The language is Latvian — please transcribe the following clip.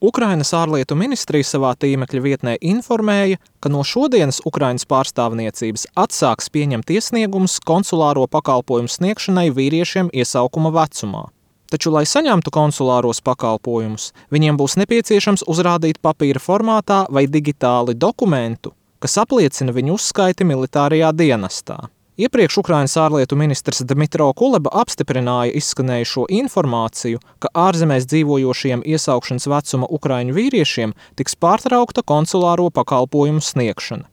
Ukrainas ārlietu ministrija savā tīmekļa vietnē informēja, ka no šodienas Ukrainas pārstāvniecības atsāks pieņemt iesniegumus konsulāro pakalpojumu sniegšanai vīriešiem iesaukuma vecumā. Taču, lai saņemtu konsulāros pakalpojumus, viņiem būs nepieciešams uzrādīt papīra formātā vai digitāli dokumentu, kas apliecina viņu uzskaiti militārajā dienestā. Iepriekš Ukrainas ārlietu ministrs Dmitro Kuleba apstiprināja izskanējušo informāciju, ka ārzemēs dzīvojošiem iesaukšanas vecuma ukraiņu vīriešiem tiks pārtraukta konsulāro pakalpojumu sniegšana.